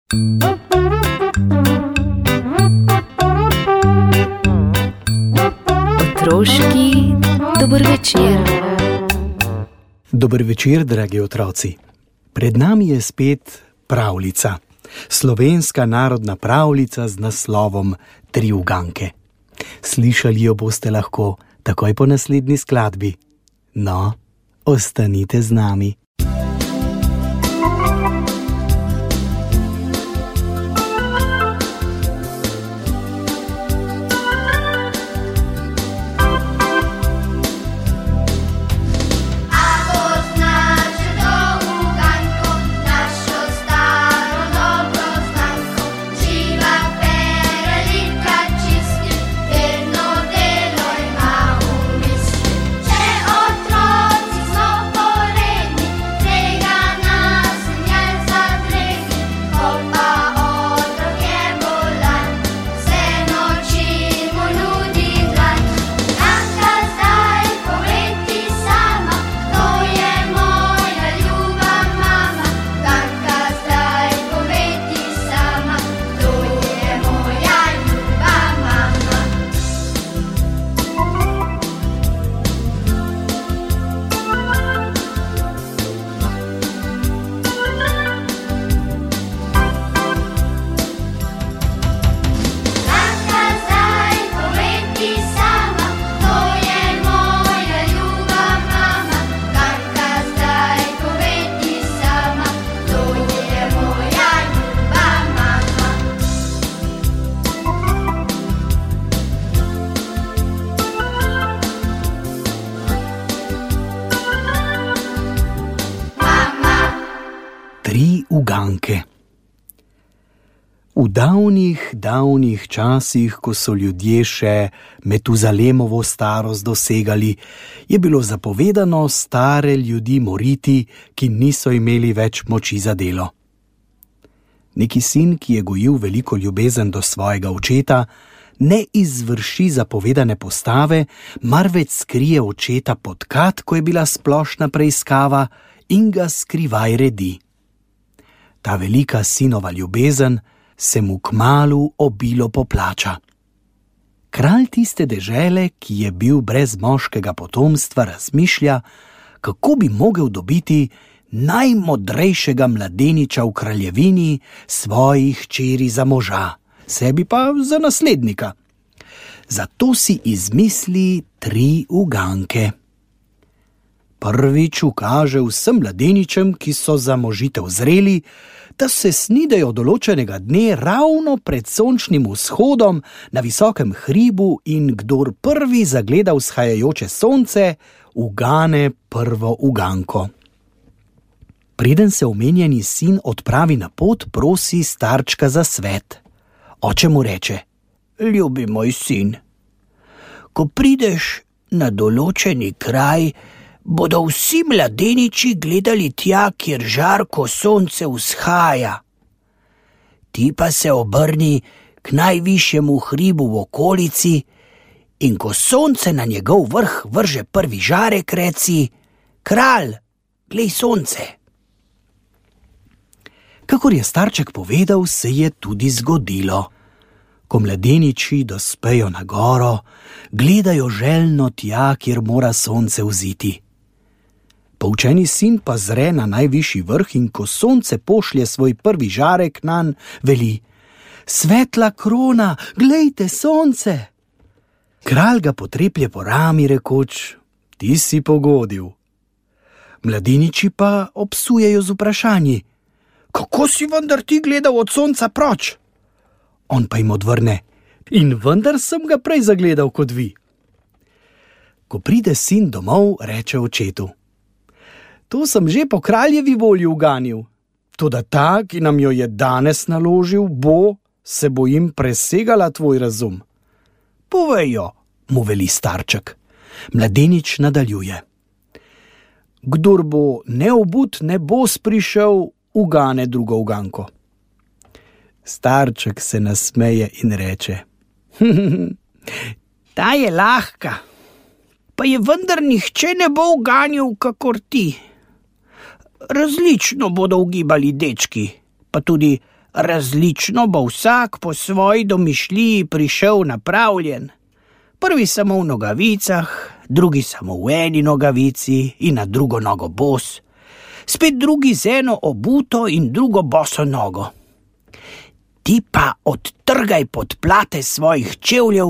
Otroški dober večer. Dober večer, dragi otroci. Pred nami je spet pravljica. Slovenska narodna pravljica z naslovom Tri uganke. Slišali jo boste lahko takoj po naslednji skladbi. No, ostanite z nami. Tri uganke. V davnih časih, ko so ljudje še Metuzalemovo starost dosegali, je bilo zapovedano stare ljudi moriti, ki niso imeli več moči za delo. Neki sin, ki je gojil veliko ljubezen do svojega očeta, ne izvrši zapovedane postave, marveč skrije očeta pod kat, ko je bila splošna preiskava, in ga skrivaj redi. Ta velika sinova ljubezen se mu kmalu obilo poplača. Kralj tiste dežele, ki je bil brez moškega potomstva, razmišlja, kako bi mogel dobiti najmodrejšega mladeniča v kraljevini, svojih hčeri za moža, sebi pa za naslednika. Zato si izmisli tri uganke. Prvič ukaže vsem mladeničem, ki so za možitev zreli, da se snidejo določenega dne ravno pred sončnim vzhodom na visokem hribu in kdor prvi zagleda vzhajajoče sonce, ugane prvo uganko. Preden se omenjeni sin odpravi na pot, prosi starčka za svet. Oče mu reče: ljubi moj sin, ko prideš na določeni kraj, bodo vsi mladeniči gledali tja, kjer žarko sonce vzhaja. Ti pa se obrni k najvišjemu hribu v okolici in ko sonce na njegov vrh vrže prvi žarek, reci: kralj, glej sonce. Kakor je starček povedal, se je tudi zgodilo. Ko mladeniči dospejo na goro, gledajo željno tja, kjer mora sonce vziti. Poučeni sin pa zre na najvišji vrh in ko sonce pošlje svoj prvi žarek nanj, veli: svetla krona, glejte sonce! Kralj ga potreplje po rami, rekoč: ti si pogodil. Mladeniči pa obsujejo z vprašanji: kako si vendar ti gledal od sonca proč? On pa jim odvrne: in vendar sem ga prej zagledal kot vi. Ko pride sin domov, reče očetu: to sem že po kraljevi volji uganil, toda ta, ki nam jo je danes naložil, se bojim, presegala tvoj razum. Povej jo, mu veli starček. Mladenič nadaljuje: kdor bo neobut, ne bo sprišel, ugane drugo uganko. Starček se nasmeje in reče: ta je lahka, pa je vendar nihče ne bo uganil kakor ti. Različno bodo ugibali dečki, pa tudi Različno bo vsak po svoji domišljiji prišel napravljen. Prvi samo v nogavicah, drugi samo v eni nogavici in na drugo nogo bos. Spet drugi z eno obuto in drugo boso nogo. Ti pa odtrgaj podplate svojih čevljev,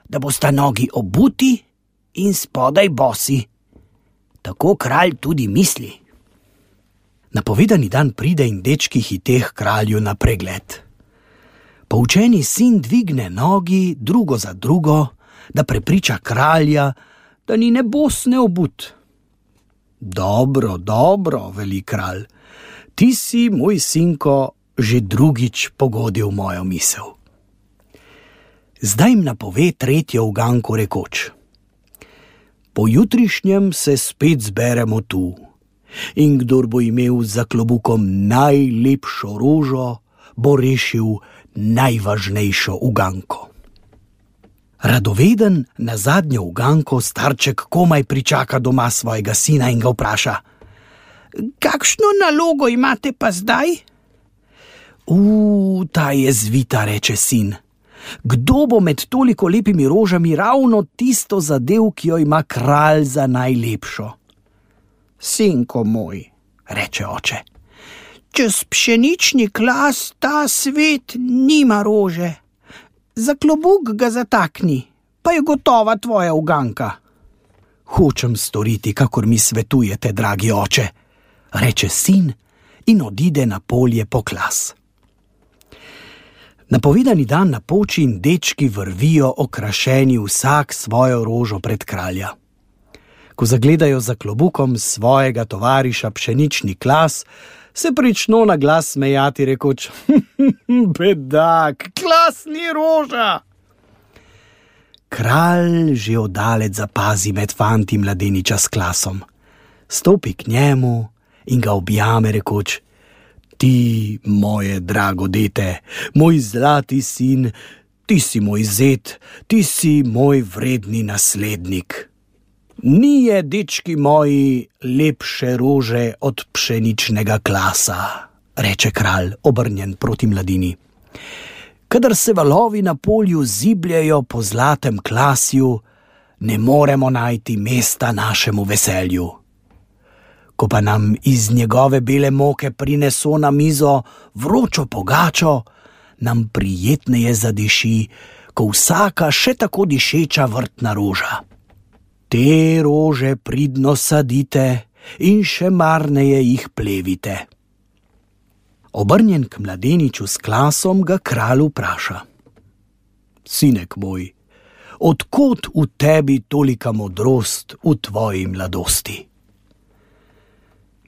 da bosta nogi obuti in spodaj bosi. Tako kralj tudi misli. Napovedani dan pride in dečki hiteh kralju na pregled. Poučeni sin dvigne nogi drugo za drugo, da prepriča kralja, da ni ne bos ne obut. Dobro, dobro, veli kralj, ti si, moj sinko, že drugič pogodil mojo misel. Zdaj jim napove tretjo uganko rekoč: pojutrišnjem se spet zberemo tu in kdor bo imel za klobukom najlepšo rožo, bo rešil najvažnejšo uganko. Radoveden na zadnjo uganko starček komaj pričaka doma svojega sina in ga vpraša: kakšno nalogo imate pa zdaj? Ta je zvita, reče sin. Kdo bo med toliko lepimi rožami ravno tisto zadev, ki jo ima kralj za najlepšo? Sinko moj, reče oče, čez pšenični klas ta svet nima rože. Za klobuk ga zatakni, pa je gotova tvoja uganka. Hočem storiti, kakor mi svetujete, dragi oče, reče sin in odide na polje po klas. Napovedani dan napoči in dečki vrvijo okrašeni vsak svojo rožo pred kralja. Ko zagledajo za klobukom svojega tovariša pšenični klas, se prično na glas smejati rekoč: bedak, klas ni roža. Kralj že oddaleč zapazi med fanti mladeniča s klasom. Stopi k njemu in ga objame rekoč: ti, moje drago dete, moj zlati sin, ti si moj zet, ti si moj vredni naslednik. Nije, dečki moji, lepše rože od pšeničnega klasa, reče kralj, obrnjen proti mladini. Kadar se valovi na polju zibljejo po zlatem klasju, ne moremo najti mesta našemu veselju. Ko pa nam iz njegove bele moke prineso na mizo vročo pogačo, nam prijetneje zadiši, ko vsaka še tako dišeča vrtna roža. Te rože pridno sadite in še marneje jih plevite. Obrnjen k mladeniču s klasom ga kralj vpraša: sinek moj, od kod v tebi tolika modrost v tvoji mladosti?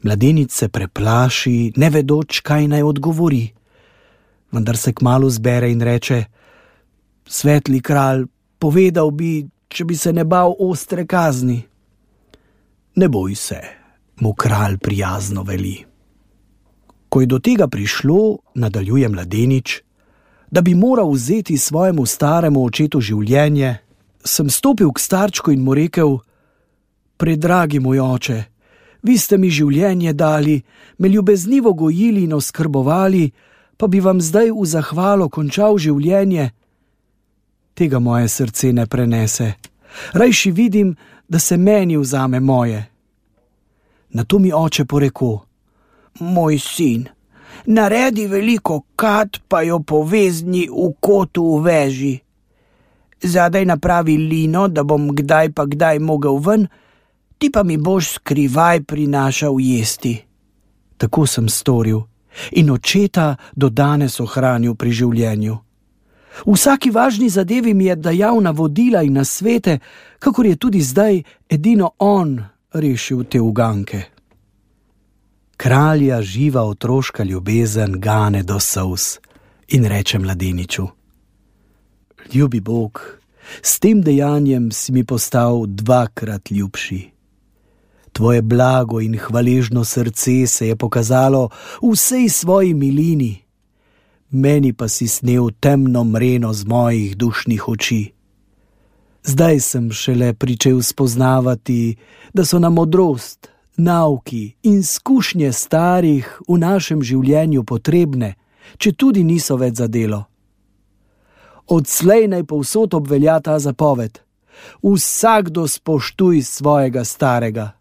Mladenič se preplaši, ne vedoč, kaj naj odgovori, vendar se kmalu zbere in reče: svetli kralj, povedal bi, če bi se ne bal ostre kazni. Ne boj se, mu kralj prijazno veli. Ko je do tega prišlo, nadaljuje mladenič, da bi moral vzeti svojemu staremu očetu življenje, sem stopil k starčku in mu rekel: predragi moj oče, vi ste mi življenje dali, me ljubeznivo gojili in oskrbovali, pa bi vam zdaj v zahvalo končal življenje. Tega moje srce ne prenese. Rajši vidim, da se meni vzame moje. Nato mi oče poreko: moj sin, naredi veliko kat, pa jo povezni v kotu v veži. Zadaj napravi lino, da bom kdaj pa kdaj mogel ven, ti pa mi boš skrivaj prinašal jesti. Tako sem storil in očeta do danes ohranil pri življenju. V vsaki važni zadevi mi je dajal navodila in nasvete, kakor je tudi zdaj edino on rešil te uganke. Kralja živa otroška ljubezen gane do solz in reče mladeniču: ljubi Bog, s tem dejanjem si mi postal dvakrat ljubši. Tvoje blago in hvaležno srce se je pokazalo v vsej svoji milini, meni pa si snel temno mreno z mojih dušnih oči. Zdaj sem šele pričel spoznavati, da so nam modrost, nauki in izkušnje starih v našem življenju potrebne če tudi niso več za delo. Odslej naj povsod obvelja ta zapoved: vsakdo spoštuj svojega starega.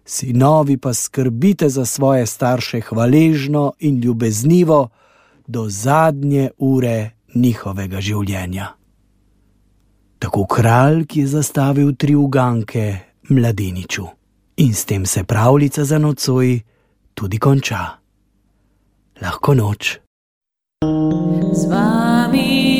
Sinovi pa skrbite za svoje starše hvaležno in ljubeznivo do zadnje ure njihovega življenja. Tako kralj, ki je zastavil 3 uganke mladeniču. In s tem se pravljica za nocoj tudi konča. Lahko noč. Z vami